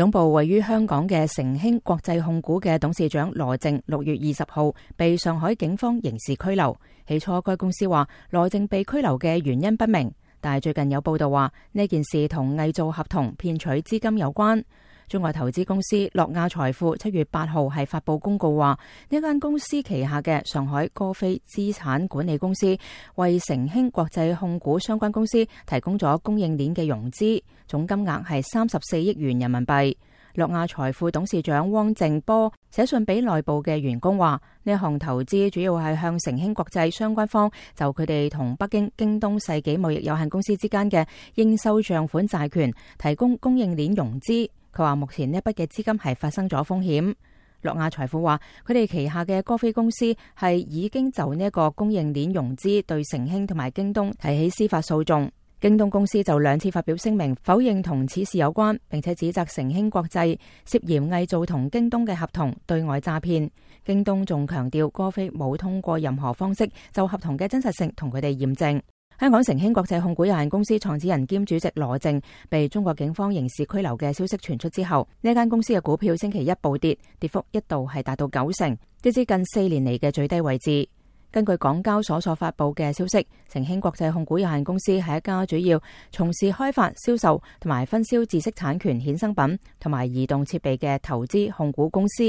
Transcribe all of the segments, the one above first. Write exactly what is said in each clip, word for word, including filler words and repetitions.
總部位於香港嘅成興國際控股嘅董事長羅正六月二十號被上海警方刑事拘留。起初該公司話羅正被拘留嘅原因不明，但係最近有報道話呢件事同偽造合同騙取資金有關。中國投資公司諾亞財富七月八號係發佈公告話，呢間公司旗下嘅上海歌飛資產管理公司為成興國際控股相關公司提供咗供應鏈嘅融資，總金額係三十四億元人民幣。諾亞財富董事長汪正波寫信俾內部嘅員工話，呢一項投資主要係向成興國際相關方就佢哋同北京京東世紀貿易有限公司之間嘅應收賬款債權提供供應鏈融資。佢話目前呢一筆嘅資金係發生咗風險。諾亞財富話佢哋旗下嘅歌飛公司係已經就呢一個供應鏈融資對成興同埋京東提起司法訴訟。京東公司就兩次發表聲明否認同此事有關，並且指責成興國際涉嫌偽造同京東嘅合同對外詐騙。京東仲強調歌飛冇通過任何方式就合同嘅真實性同佢哋驗證。香港成興國際控股有限公司創始人兼主席羅正被中國警方刑事拘留嘅消息傳出之後，呢間公司嘅股票星期一暴跌，跌幅一度係達到九成，跌至近四年嚟嘅最低位置。根據港交所所發佈嘅消息，成興國際控股有限公司係一家主要從事開發、銷售同埋分銷知識產權衍生品同埋移動設備嘅投資控股公司。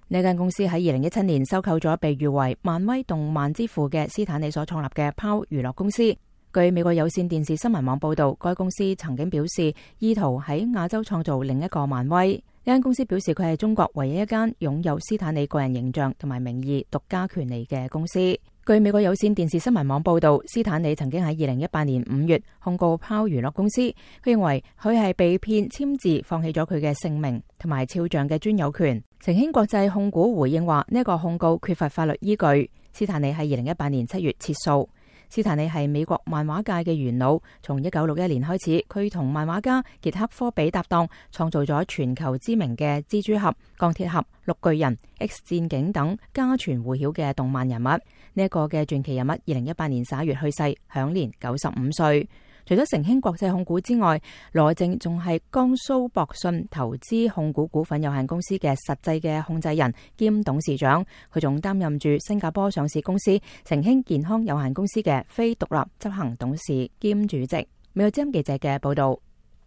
呢間公司喺二零一七年收購咗被譽為漫威動漫之父嘅斯坦李所創立嘅 P O W 娛樂公司。據美國有線電視新聞網報道，該公司曾經表示意圖喺亞洲創造另一個漫威。呢間公司表示佢係中國唯一一間擁有斯坦李個人形象同埋名義獨家權利嘅公司。據美國有線電視新聞網報道，斯坦李曾經喺二零一八年五月控告 P O W 娛樂公司，佢認為佢係被騙簽字放棄咗佢嘅姓名同埋肖像嘅專有權。成興國際控股回應話呢一個控告缺乏法律依據。斯坦李喺二零一八年七月撤訴。斯坦李係美國漫畫界嘅元老，從一九六一年開始，佢同漫畫家傑克科比搭檔，創造咗全球知名嘅蜘蛛俠、鋼鐵俠、綠巨人、X 戰警等家傳戶曉嘅動漫人物。呢、這、一個嘅傳奇人物，二零一八年十一月去世，享年九十五歲。除咗成興國際控股之外，羅正仲係江蘇博信投資控股股份有限公司嘅實際嘅控制人兼董事長，佢仲擔任住新加坡上市公司成興健康有限公司嘅非獨立執行董事兼主席。美國之音記者嘅報道。